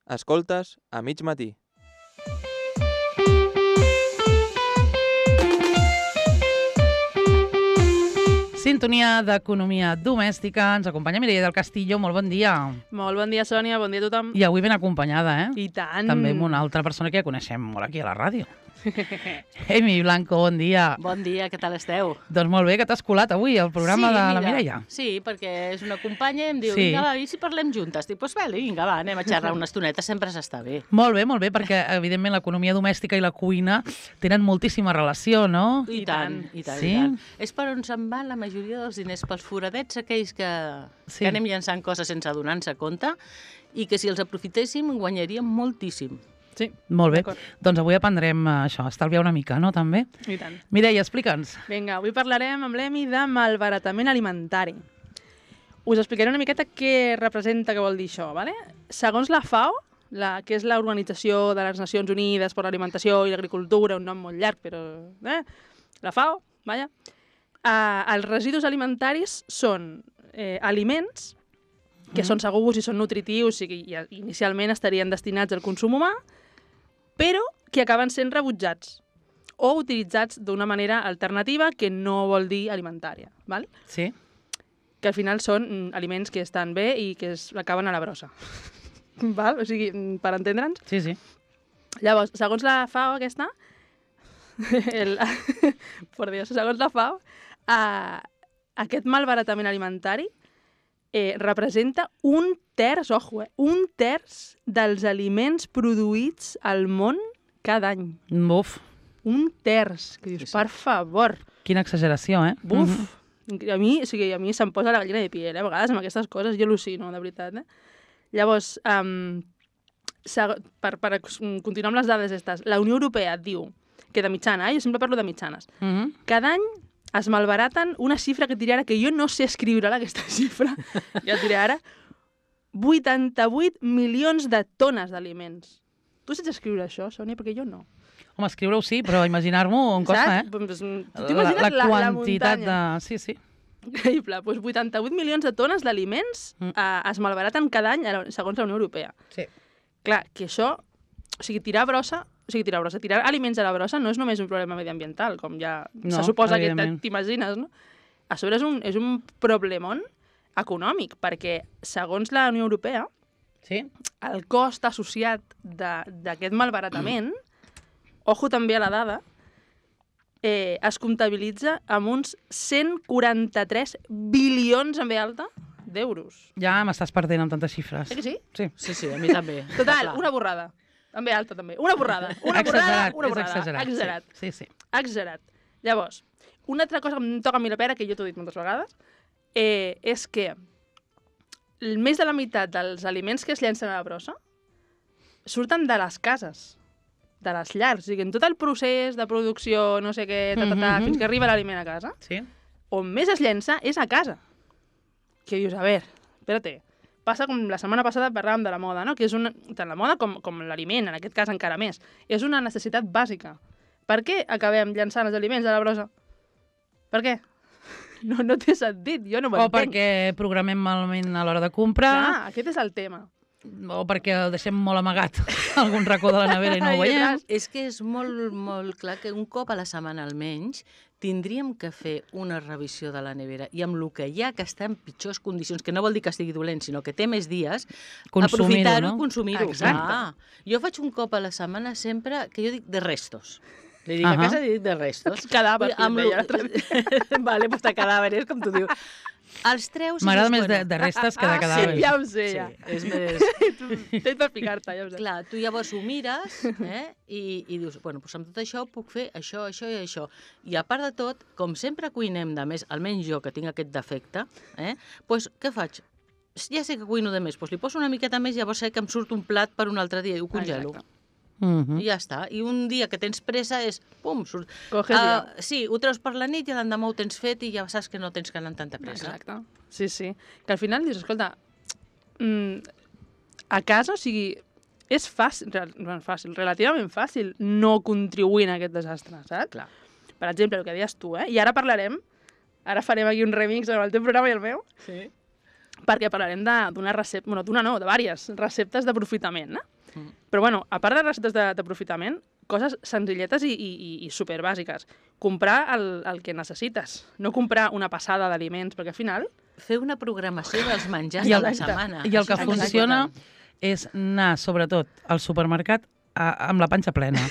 Escoltes a mig matí. Sintonia d'Economia Domèstica. Ens acompanya Mireia del Castillo. Molt bon dia. Molt bon dia, Sònia. Bon dia a tothom. I avui ben acompanyada, I tant. També amb una altra persona que ja coneixem molt aquí a la ràdio. Emi Blanco, bon dia. Bon dia, què tal esteu? Doncs molt bé, que t'has colat avui al programa de la Mireia. Sí, perquè és una companya i em diu, Sí. vinga, va, i si parlem juntes? Dic, doncs vinga, va, anem a xerrar una estoneta, sempre s'està bé. Molt bé, perquè evidentment l'economia domèstica i la cuina tenen moltíssima relació, no? I tant. Sí? És per on se'n van la majoria dels diners, pels foradets aquells que anem llançant coses sense adonar-se compte i que si els aprofitéssim guanyaríem moltíssim. Sí. Molt bé. D'acord. Doncs avui aprendrem això, estalviar una mica, no, també? I tant. Mireia, explica'ns. Vinga, avui parlarem amb l'Emi de malbaratament alimentari. Us explicaré una miqueta què representa, què vol dir això, ¿vale? Segons la FAO, que és l'Organització de les Nacions Unides per l'Alimentació i l'Agricultura, un nom molt llarg, però... La FAO, vaja. Els residus alimentaris són aliments que són segurs i són nutritius i inicialment estarien destinats al consum humà, però que acaben sent rebutjats o utilitzats d'una manera alternativa que no vol dir alimentària, ¿vale? Sí? Que al final són aliments que estan bé i que acaben a la brossa. Val? O sigui, per entendre'ns. Sí. Llavors, segons la FAO aquesta, por Dios, segons la FAO, aquest malbaratament alimentari representa un terç dels aliments produïts al món cada any. Buf, Un terç. Que dius, per favor. quina exageració, eh? Buf. A mi se'm posa la gallina de piel, a vegades amb aquestes coses jo al·lucino, de veritat. Llavors, per continuar amb les dades aquestes, la Unió Europea diu que de mitjana, jo sempre parlo de mitjanes, cada any es malbaraten una xifra que et diré ara, que jo no sé escriure aquesta xifra, ja et diré ara, 88 milions de tones d'aliments. Tu saps escriure això, Sònia? Perquè jo no. Home, escriure-ho sí, però imaginar-m'ho em costa, Saps? Pues, tu t'imagines la quantitat muntanya. de... Sí. Increïble. Pues 88 milions de tones d'aliments es malbaraten cada any, segons la Unió Europea. Sí. Clar, que això... O sigui, tirar aliments a la brossa no és només un problema mediambiental, com ja se suposa que t'imagines, no? A sobre és un problemón econòmic, perquè segons la Unió Europea, el cost associat d'aquest malbaratament, ojo també a la dada, es comptabilitza amb uns 143 bilions en ve alta d'euros. Ja m'estàs perdent amb tantes xifres. Eh que sí? Sí. A mi també. Total, una borrada. En ve alta també. Una borrada. Exagerat. Sí. Exagerat. Llavors, una altra cosa que em toca a mi la pera, que jo t'ho he dit moltes vegades, és que més de la meitat dels aliments que es llencen a la brossa surten de les cases, de les llars. O sigui, en tot el procés de producció, no sé què, fins que arriba l'aliment a casa, on més es llença és a casa. Que dius, a veure, espérate, passa com la setmana passada parlàvem de la moda, no? Que és tant la moda com l'aliment, en aquest cas encara més. És una necessitat bàsica. Per què acabem llançant els aliments a la brossa? Per què? No té sentit, jo no m'entenc. O perquè programem malament a l'hora de comprar. Clar, aquest és el tema. O perquè el deixem molt amagat a algun racó de la nevera i no ho veiem. És que és molt, molt clar que un cop a la setmana almenys tindríem que fer una revisió de la nevera i amb el que hi ha que està en pitjors condicions, que no vol dir que estigui dolent, sinó que té més dies, aprofitar-ho i consumir-ho. Exacte. Jo faig un cop a la setmana sempre, que jo dic de restos. Li dic a casa i dic de restos. Els cadàvers, que em deia l'altre dia. Vale, doncs de cadàvers, com tu dius. Els treus... M'agrada més de restes que de cadàvers. Sí, ja ho sé, ja. Sí, és més... Tens per picar-te, ja ho sé. Clar, tu llavors ho mires i dius, bueno, doncs amb tot això puc fer això i això. I a part de tot, com sempre cuinem de més, almenys jo que tinc aquest defecte, doncs què faig? Ja sé que cuino de més, doncs li poso una miqueta més i llavors sé que em surt un plat per un altre dia i ho congelo. Exacte. I ja està. I un dia que tens pressa és, pum, surt. Sí, ho treus per la nit i l'endemà ho tens fet i ja saps que no tens que anar amb tanta pressa. Exacte. Sí. Que al final dius, escolta, a casa, o sigui, és fàcil, relativament fàcil no contribuir en aquest desastre, saps? Clar. Per exemple, el que deies tu, i ara farem aquí un remix amb el teu programa i el meu, Sí. perquè parlarem d'una recepta, de diverses receptes d'aprofitament, Però bueno, a part de receptes d'aprofitament, coses senzilletes i superbàsiques. Comprar el que necessites, no comprar una passada d'aliments, perquè al final... Fer una programació dels menjars I de el- la setmana. I el que Això és funciona important. és anar, sobretot, al supermercat amb la panxa plena.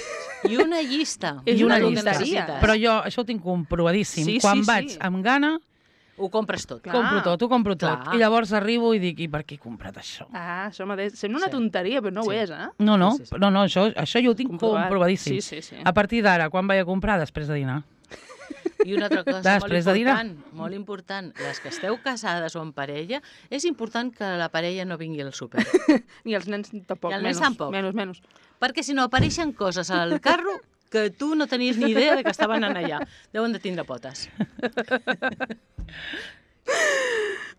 I una llista. És I una una llista. llisteria. Però jo això ho tinc comprovadíssim. Sí, Quan sí, vaig sí. amb gana, Ho compres tot. Clar. ho compro tot. Clar. I llavors arribo i dic, i per què he comprat això? Ah, això mateix. Sembla una Sí. tonteria, però no ho Sí. és, eh? No, Sí. no, això jo ho tinc Comprovat. comprovadíssim. Sí. A partir d'ara, quan vaig a comprar? Després de dinar. I una altra cosa Després de dinar. molt important, les que esteu casades o en parella, és important que la parella no vingui al súper. Ni els nens tampoc. I els nens menys, tampoc. Menys. Perquè si no apareixen coses al carro que tu no tenies ni idea de que estaven allà. Deuen de tindre potes.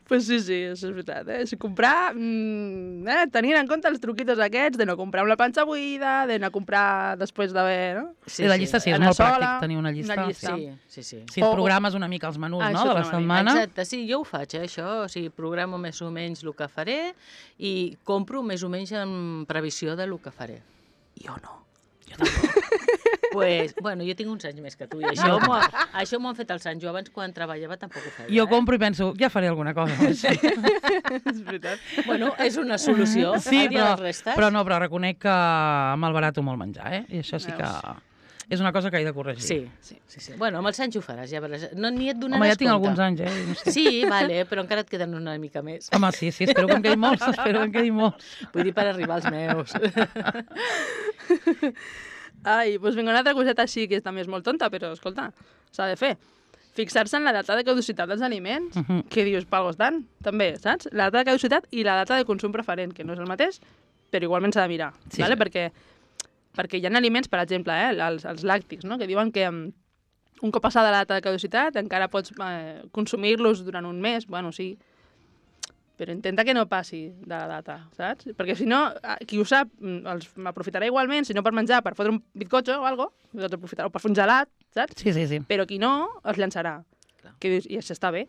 Pues sí, això és veritat. Si comprar, tenint en compte els truquitos aquests de no comprar amb la panxa buida, d'anar a comprar després d'haver... No? Sí, la llista sí, és Anar molt sola, pràctic tenir una llista. una llista. Sí. Si et programes una mica els menús, Ah, no?, això de la t'anava a dir. setmana. Exacte, sí, jo ho faig, això. O sigui, programo més o menys el que faré i compro més o menys en previsió de lo que faré. Jo no. Pues, bueno, jo tinc uns anys més que tu i això m'ho han fet els anys. Jo abans, quan treballava, tampoc ho feia. Jo compro i penso, ja faré alguna cosa. Sí, És veritat. Bueno, és una solució. sí El dia dels restes. però reconec que malbarato molt menjar, I això sí que és una cosa que he de corregir. Sí. Bueno, amb els anys ho faràs, ja veuràs. No, ni et donaràs Home, ja tinc compte. alguns anys, No sé. Sí, vale, però encara et queden una mica més. Home, sí, espero que em quedin molts, Vull dir, per arribar als meus. Ai, doncs vinga, una altra coseta així, que també és molt tonta, però escolta, s'ha de fer. Fixar-se en la data de caducitat dels aliments, que dius, palgo estan, també, saps? La data de caducitat i la data de consum preferent, que no és el mateix, però igualment s'ha de mirar, Sí, vale? sí. Perquè hi ha aliments, per exemple, els làctics, no? Que diuen que un cop passada la data de caducitat encara pots consumir-los durant un mes, bueno, sí, però intenta que no passi de la data, saps? Perquè si no, qui ho sap, m'aprofitarà igualment, si no per menjar, per fotre un bizcocho o alguna cosa, o per fer un gelat, saps? Sí. Però qui no, es llançarà. Clar. Que dius, i això està bé,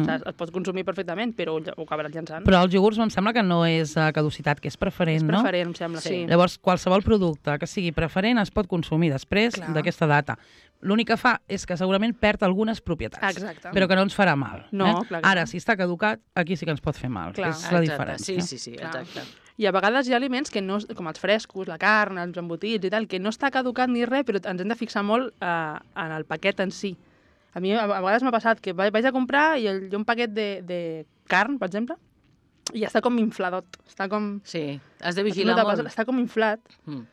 saps? Es pot consumir perfectament, però ho acabaràs llançant. Però els iogurts em sembla que no és caducitat, que és preferent, És no? preferent, em sembla, sí. Llavors, qualsevol producte que sigui preferent es pot consumir després Clar. d'aquesta data. L'únic que fa és que segurament perd algunes propietats, Exacte. però que no ens farà mal. No, clar que Ara, no. si està caducat, aquí sí que ens pot fer mal, Clar. que és la Exacte, diferència. Sí, Clar. exacte. I a vegades hi ha aliments que no, com els frescos, la carn, els embotits i tal, que no està caducat ni res, però ens hem de fixar molt en el paquet en si. A mi a vegades m'ha passat que vaig a comprar i hi ha un paquet de carn, per exemple, i està com infladot. Està com... Sí, has de No vigilar t'ha molt. passat? Està com inflat. Mm.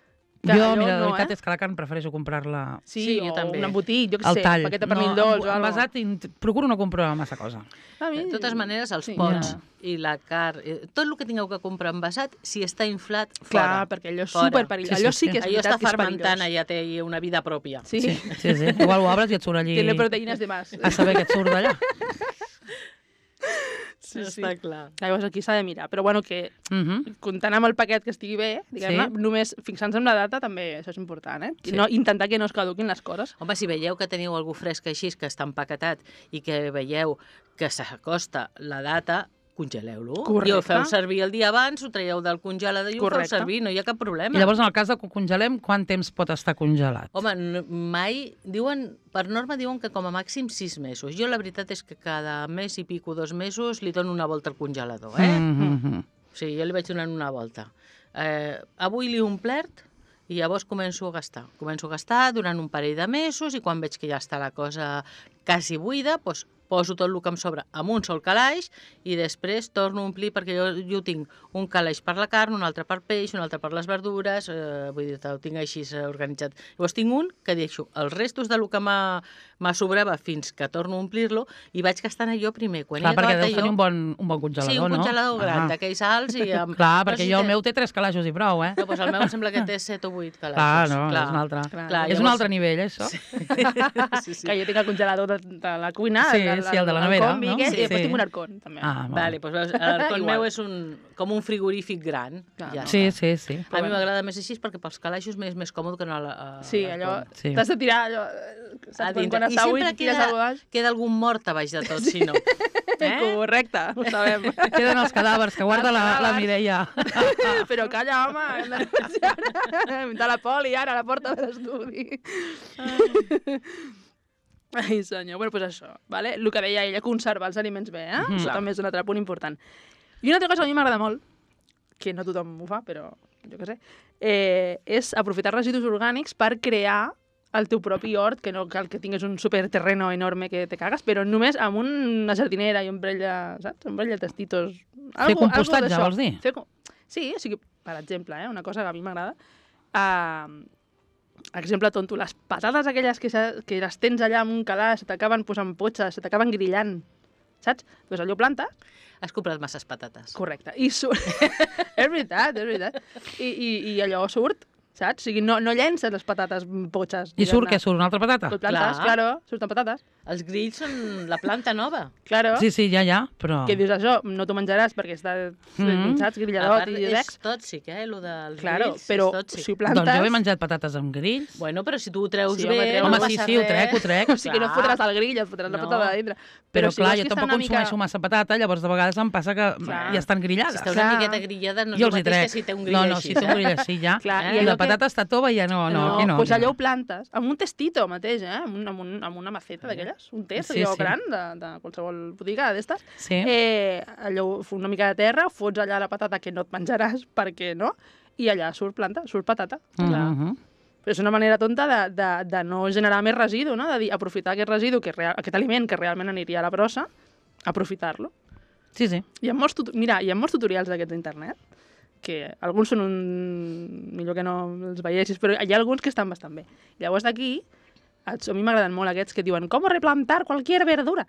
Que Jo, allò mira, la no, veritat és que la carn prefereixo comprar-la Sí, jo o també. un embotit, jo què al sé, tall. un paquet de pernil dolç o alguna envasat, procuro no comprar massa cosa. A mi... De totes maneres, els Sí, pots ja. i la carn, tot el que tingueu que comprar envasat, si està inflat, Clar, fora. perquè allò és Fora. superperillós. Sí, Allò sí, sí que és Allò veritat està que és fermentant, perillós. allà té una vida pròpia. Sí, Sí. Igual ho obres i et surt allí tiene proteïnes de más. a saber què et surt d'allà. Sí, sí. Està clar. Llavors aquí s'ha de mirar. Però bueno, que comptant amb el paquet que estigui bé, diguem-ne, Sí. només fixant-se en la data també això és important, Sí. No, intentar que no es caduquin les coses. Home, si veieu que teniu algú fresc així, que està empaquetat, i que veieu que s'acosta la data, congeleu-lo. Correcte. I ho feu servir el dia abans, ho traieu del congelador i ho feu Correcte. servir, no hi ha cap problema. I llavors, en el cas de que ho congelem, quant temps pot estar congelat? Home, mai... Diuen, per norma diuen que com a màxim 6 mesos. Jo la veritat és que cada mes i pico, 2 mesos, li dono una volta al congelador, Mhm. Sí, jo li vaig donant una volta. Avui li he omplert i llavors començo a gastar. Començo a gastar durant un parell de mesos i quan veig que ja està la cosa quasi buida, doncs poso tot el que em sobra en un sol calaix i després torno a omplir, perquè jo tinc un calaix per la carn, un altre per peix, un altre per les verdures, vull dir, ho tinc així organitzat. Llavors tinc un que deixo els restos del que m'ha sobrava fins que torno a omplir-lo i vaig gastant allò primer. Quan Clar, he perquè acabat deus tenir un bon congelador, Sí, un no? congelador gran, d'aquells alts i amb... Clar, No, perquè si jo el té- meu té 3 calaixos i prou, No, doncs el meu em sembla que té 7 o 8 Clar, calaixos. no, és un altre. Clar, És un altre nivell, això. Sí, sí. Que jo tinc el congelador de la cuina, Sí, el de la nevera, combi, no? aquest, i després Sí. tinc un arcón, també. Ah, Vale, doncs veus, l'arcón Igual. meu és com un frigorífic gran. Clar, Ja no. Sí, està. sí. A mi m'agrada més així perquè pels calaixos m'és més còmode que no a Sí, allò... Sí. T'has de tirar allò... saps? Quan està buit, tires al baix. queda algun mort a baix de tot, si no. Correcte, ho sabem. Queden els cadàvers que guarda la Mireia. Però calla, home, hem de negociar. De la poli, ara, a la porta de l'estudi. Ai, senyor. Bueno, doncs això, vale? El que deia ella, conservar els aliments bé, Això també és un altre punt important. I una altra cosa que a mi m'agrada molt, que no tothom ho fa, però jo què sé, és aprofitar residus orgànics per crear el teu propi hort, que no cal que tinguis un superterreno enorme que te cagues, però només amb una jardinera i un parell de, saps? Un parell de tastitos. Fer compostatge, vols dir? Sí, o sigui, per exemple, una cosa que a mi m'agrada, exemple tonto, les patates aquelles que les tens allà en un calaix, se t'acaben posant potxes, se t'acaben grillant, saps? Doncs allò planta. Has comprat masses patates. Correcte. I surt... és veritat. I allò surt, saps? O sigui, no llences les patates potxes. I surt què? Surt una altra patata? Tot plantes, claro, surten patates. Els grills són la planta nova. Claro. Sí, ja, però... Que dius això, no t'ho menjaràs perquè està, saps, grilladot i és secs. tòxic, lo dels Claro, grills però és tòxic. si ho plantes... Doncs jo he menjat patates amb grills. Bueno, però si tu ho treus Sí, bé, home, no sí, passa ho res. trec. O sigui, no et fotràs al grill, et fotràs la patata de dintre. Però si clar, vols jo que està tampoc una mica- consumeixo massa patata, llavors de vegades em passa que Clar. ja estan grillades. Si està una Clar. miqueta grillada, no és Jo el els hi mateix trec. que si té un grill No, així. si té un grill així ja. Clar, I allò la patata està tova i ja no, aquí no. Doncs allò ho plantes, amb un testito mateix, amb una maceta d'aquelles, un test, Sí, allò sí. gran de qualsevol botiga d'estes. Sí. Allò, una mica de terra, fots allà la patata que no et menjaràs, perquè no, i allà surt planta, surt patata. Mhm. Però és una manera tonta de no generar més residu, no? De dir, aprofitar aquest residu, aquest aliment que realment aniria a la brossa, aprofitar-lo. Sí. Hi ha molts tutorials d'aquests d'internet, que alguns són millor que no els veiessis, però hi ha alguns que estan bastant bé. Llavors d'aquí, a mi m'agraden molt aquests que diuen com replantar qualsevol verdura.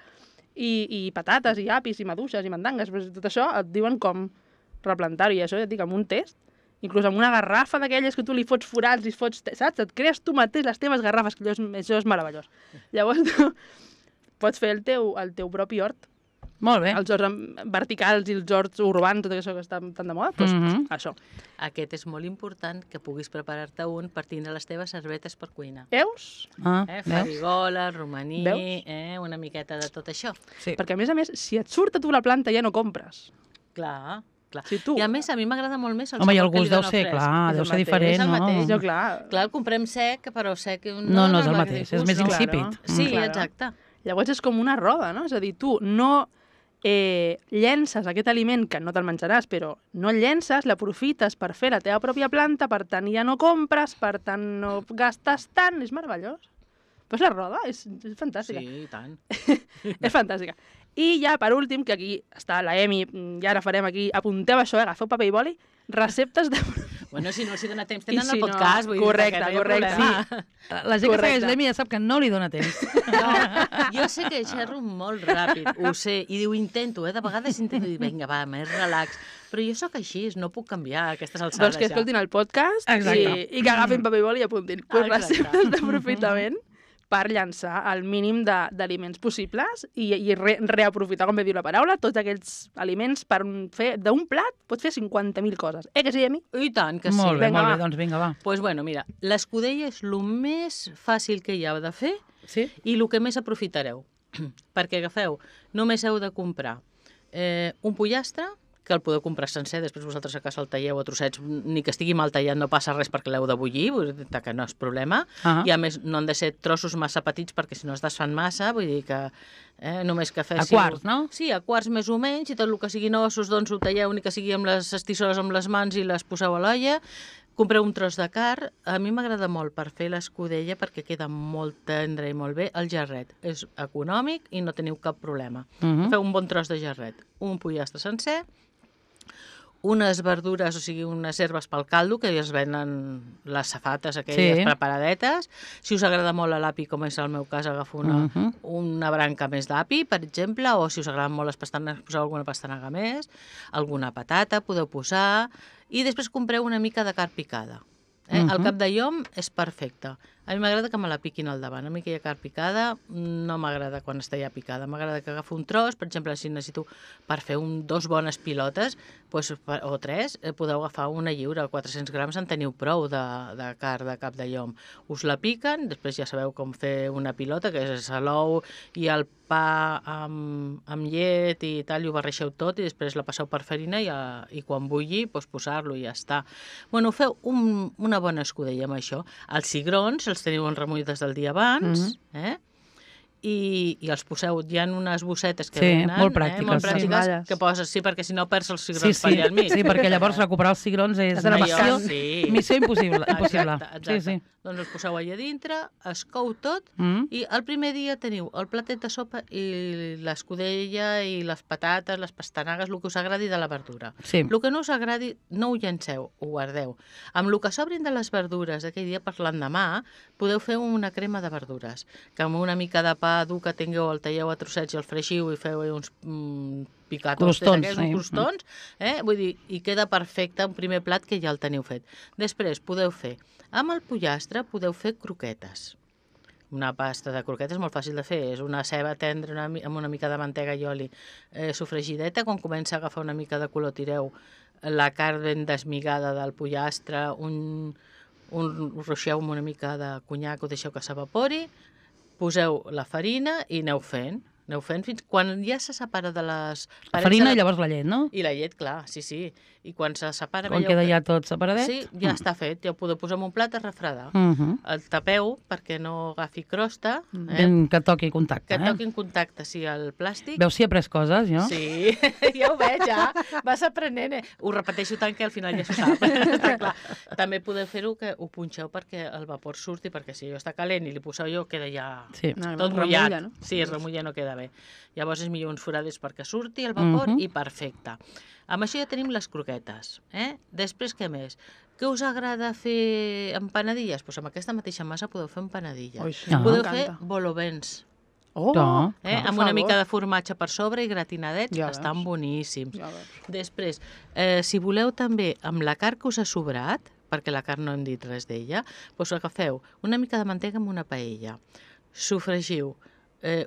I patates, i apis, i maduixes, i mandangues, però tot això et diuen com replantar-ho, i això ja et dic, amb un test, inclús amb una garrafa d'aquelles que tu li fots forats i fots, saps? Et crees tu mateix les teves garrafes, que això és meravellós. Llavors tu pots fer el teu propi hort, Molt bé. els horts verticals i els horts urbans, tot això que està tan de moda, doncs això. Aquest és molt important, que puguis preparar-te un per tindre les teves servetes per cuinar. Veus? Veus? Farigola, romaní, Veus? una miqueta de tot això. Sí. Perquè, a més, si et surt a tu la planta ja no compres. Clar. Si tu... I a més, a mi m'agrada molt més el Home, i el sabor que li gust deu dona ser, fresc. clar, És deu el ser mateix, diferent, és el no? mateix. Jo, clar. Clar, el comprem sec, però sec... No és el dona mateix, gust, és més no? insípid. Sí, Claro. exacte. Llavors és com una roda, no? És a dir, tu no llences aquest aliment, que no te'l menjaràs, però no el llences, l'aprofites per fer la teva pròpia planta, per tant ja no compres, per tant no gastes tant, és meravellós. Però és la roda, és fantàstica. Sí, i tant. És fantàstica. I ja, per últim, que aquí està la Emi, i ara farem aquí, apunteu això, agafeu paper i boli, receptes de... Bueno, si no els hi dona temps, I tenen si el no, podcast, vull correcte, dir que no hi ha correcte, problema. La gent que Correcte. segueix l'Emi ja sap que no li dona temps. No, jo sé que xerro molt ràpid, ho sé, i diu, intento, de vegades intento dir, vinga, va, més relax, però jo sóc així, no puc canviar a aquestes alçades. Doncs que escoltin el podcast Exacte. i que agafin paper i boli i apuntin. Pues Exacte. receptes d'aprofitament per llançar el mínim d'aliments possibles i reaprofitar, com bé diu la paraula, tots aquells aliments per fer d'un plat, pots fer 50.000 coses. Que sí, Emi? I tant que sí. Molt bé, Vinga, molt va. bé, doncs vinga, va. Doncs bueno, mira, l'escudella és el més fàcil que hi ha de fer Sí? i el que més aprofitareu. Perquè agafeu, només heu de comprar un pollastre, que el podeu comprar sencer, després vosaltres a casa el talleu a trossets, ni que estigui mal tallat no passa res perquè l'heu de bullir, vull dir que no és problema. I a més no han de ser trossos massa petits perquè si no es desfan massa, vull dir que només que féssiu... A quarts, no? Sí, a quarts més o menys, i tot el que siguin ossos doncs ho talleu, ni que sigui amb les estissores amb les mans i les poseu a l'olla. Compreu un tros de carn. A mi m'agrada molt per fer l'escudella perquè queda molt tendre i molt bé el jarret. És econòmic i no teniu cap problema. Feu un bon tros de jarret, un pollastre sencer, unes verdures, o sigui, unes herbes pel caldo, que es venen les safates aquelles preparadetes. Si us agrada molt l'api, com és el meu cas, agafo una branca més d'api, per exemple, o si us agraden molt les pastanagues, poseu alguna pastanaga més, alguna patata podeu posar, i després compreu una mica de carn picada. El cap de llom és perfecte. A mi m'agrada que me la piquin al davant. A mi aquella carn picada no m'agrada quan està ja picada. M'agrada que agafo un tros, per exemple, si necessito per fer dos bones pilotes, doncs, o 3, podeu agafar una lliura, 400 grams en teniu prou de carn de cap de llom. Us la piquen, després ja sabeu com fer una pilota, que és l'ou i el pa amb llet i tal, i ho barreixeu tot i després la passeu per farina i quan bulli doncs posar-lo i ja està. Bueno, feu una bona escudella amb això. Els cigrons els teniu en remull des del dia abans, i els poseu, hi ha unes bossetes que venen, molt pràctiques, que poses, perquè si no perds els cigrons per allà al mig. Sí, perquè llavors recuperar els cigrons és una missió impossible. Exacte. Doncs els poseu allà dintre, es cou tot, i el primer dia teniu el platet de sopa i l'escudella i les patates, les pastanagues, el que us agradi de la verdura. El que no us agradi, no ho llenceu, ho guardeu. Amb el que sobrin de les verdures d'aquell dia per l'endemà, podeu fer una crema de verdures, que amb una mica de pa dur que tingueu, el talleu a trossets i el freixiu i feu uns picatos, uns crostons, vull dir, i queda perfecte un primer plat que ja el teniu fet. Després podeu fer, amb el pollastre podeu fer croquetes. Una pasta de croquetes molt fàcil de fer, és una ceba tendra amb una mica de mantega i oli sofregideta, quan comença a agafar una mica de color tireu la carn ben desmigada del pollastre, ho ruixeu amb una mica de conyac, ho deixeu que s'evapori, poseu la farina i aneu fent fins quan ja se separa de les... La farina i llavors la llet, no? I la llet, clar, sí. I quan se separa... Quan queda ja tot separadet? Sí, ja està fet, ja ho podeu posar en un plat a refredar. El tapeu perquè no agafi crosta. Que toqui contacte. Que toqui en contacte, sí, el plàstic. Veus si he après coses, jo? Sí, ja ho veig, ja. Vas aprenent. Ho repeteixo tant que al final ja s'ho sap. També podeu fer-ho que ho punxeu perquè el vapor surti, perquè si allò està calent i li poseu allò, queda ja tot mullat. Sí, es remulla, no queda bé. Llavors és millor uns forades perquè surti el vapor i perfecte. Amb això ja tenim les croquetes. Després, què més? Què us agrada fer empanadilles? Doncs amb aquesta mateixa massa podeu fer empanadilles. Podeu fer volovens. Amb una mica de formatge per sobre i gratinadets, estan boníssims. Després, si voleu també amb la carn que us ha sobrat, perquè la carn no hem dit res d'ella, doncs agafeu una mica de mantega amb una paella, sofregiu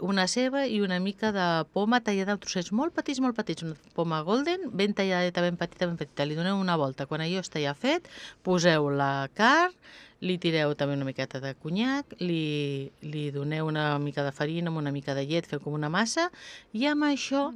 una ceba i una mica de poma tallada en trossets molt petits, una poma golden, ben talladeta, ben petita, li doneu una volta. Quan allò està ja fet, poseu la carn, li tireu també una miqueta de conyac, li doneu una mica de farina amb una mica de llet, feu com una massa, i amb això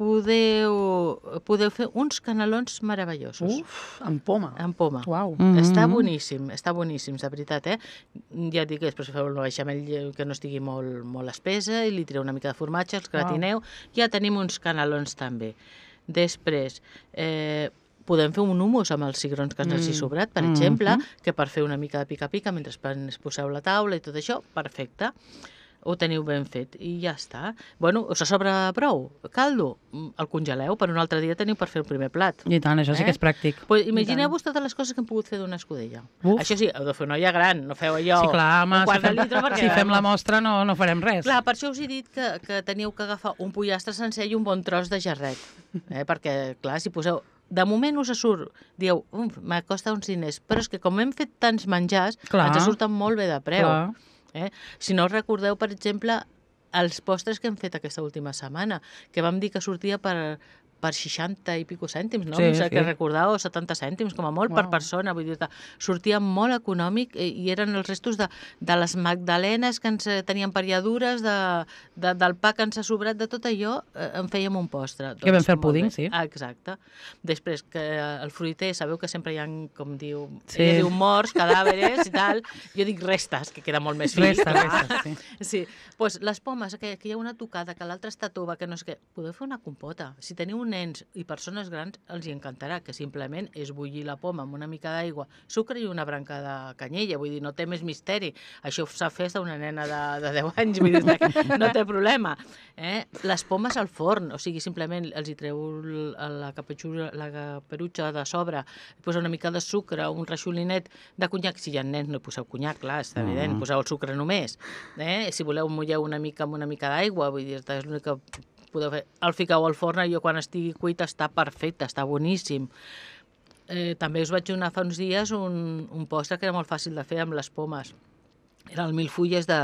podeu fer uns canelons meravellosos. Amb poma. Amb poma. Uau. Està boníssim, de veritat, Ja et dic que després feu el beixamel que no estigui molt espessa i li tireu una mica de formatge, els gratineu, ja tenim uns canelons també. Després, podem fer un hummus amb els cigrons que ens hagi sobrat, per exemple, que per fer una mica de pica-pica mentre poseu la taula i tot això, perfecte. Ho teniu ben fet i ja està. Bueno, us sobra prou caldo, el congeleu, per un altre dia teniu per fer el primer plat. I tant, això sí que és pràctic. Pues imagineu-vos totes les coses que hem pogut fer d'una escudella. Això sí, heu de fer una olla gran, no feu allò... Sí, clar, home, un quart de litre perquè... si fem la mostra no farem res. Clar, per això us he dit que teniu que agafar un pollastre sencer i un bon tros de jarret. Perquè, clar, si poseu... De moment us surt, dieu, m'acosta uns diners, però és que com hem fet tants menjars, ens surten molt bé de preu. Si no recordeu, per exemple, els postres que hem fet aquesta última setmana, que vam dir que sortia per 60 i pico cèntims, no? Que recordeu, 70 cèntims, com a molt, per persona. Vull dir, sortia molt econòmic i eren els restos de les magdalenes que ens tenien per allà dures, del pa que ens ha sobrat, de tot allò, en fèiem un postre. Que vam fer el púding, sí. Exacte. Després, que el fruiter, sabeu que sempre hi ha, com diu, ella diu morts, cadàveres i tal, jo dic restes, que queda molt més fi. Restes, sí. Doncs les pomes, que hi ha una tocada, que l'altra està tova, que no és que... Podeu fer una compota. Si teniu nens i persones grans, els hi encantarà, que simplement és bullir la poma amb una mica d'aigua, sucre i una branca de canyella, vull dir, no té més misteri. Això s'ha fet d'una nena de 10 anys, vull dir, que no té problema. Les pomes al forn, o sigui, simplement els hi treu la caperutxa de sobre, posa una mica de sucre, un reixolinet de conyac, si hi ha nens no poseu conyac, clar, està evident, poseu el sucre només. Si voleu mulleu una mica amb una mica d'aigua, vull dir, és l'únic que podeu fer. El fiqueu al forn i quan estigui cuit està perfecte, està boníssim. També us vaig donar fa uns dies un postre que era molt fàcil de fer amb les pomes. era el milfulles de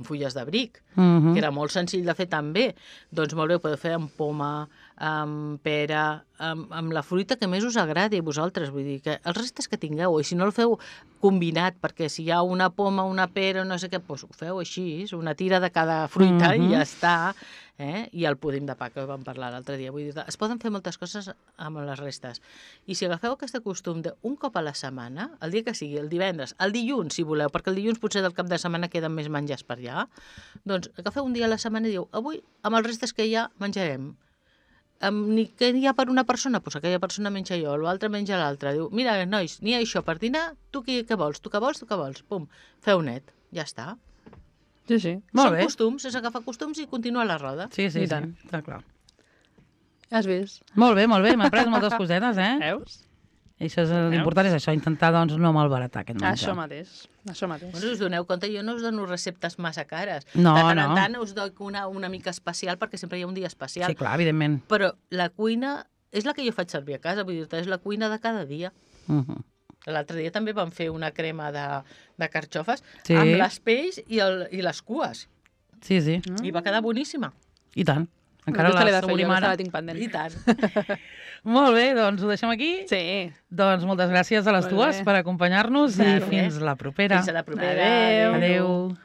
fulles de bric, Mhm. que era molt senzill de fer també. Doncs molt bé, ho podeu fer amb poma, amb pera, amb la fruita que més us agradi a vosaltres. Vull dir que els restes que tingueu, i si no el feu combinat, perquè si hi ha una poma, una pera, no sé què, doncs ho feu així, una tira de cada fruita i ja està. I el púding de pa, que vam parlar l'altre dia. Vull dir, es poden fer moltes coses amb les restes. I si agafeu aquest costum d'un cop a la setmana, el dia que sigui, el divendres, el dilluns, si voleu, perquè el dilluns potser del cap de setmana queden més menjars per allà, doncs agafeu un dia a la setmana i diu, avui, amb els restes que hi ha, menjarem. Què hi ha per una persona? Doncs aquella persona menja jo, l'altre menja l'altre. Diu, mira, nois, n'hi ha això per dinar, tu què vols? Tu què vols? Tu què vols? Pum, feu net, ja està. Sí, sí. Molt Són bé. costums, és agafar costums i continuar la roda. Sí, I tant. està clar. Has vist? Molt bé, m'he après moltes cosetes, eh? Veus? I això és l'important, és això, intentar, doncs, no malbaratar aquest menjar. Això mateix. Això mateix. Bueno, us doneu compte, jo no us dono receptes massa cares. No, de tant en no. tant us doy una mica especial, perquè sempre hi ha un dia especial. Sí, clar, evidentment. Però la cuina és la que jo faig servir a casa, vull dir, és la cuina de cada dia. Mhm. L'altre dia també vam fer una crema de carxofes Sí. amb les pells i les cues. Sí, sí, I va quedar boníssima. i tant. Encara Aquesta l'he la de fer jo, assaborim aquesta ara. la tinc pendent. I tant. Molt bé, doncs ho deixem aquí. Sí. Doncs moltes gràcies a les Molt dues bé. per acompanyar-nos i De res. fins la propera. Fins a la propera. Adéu. Adéu.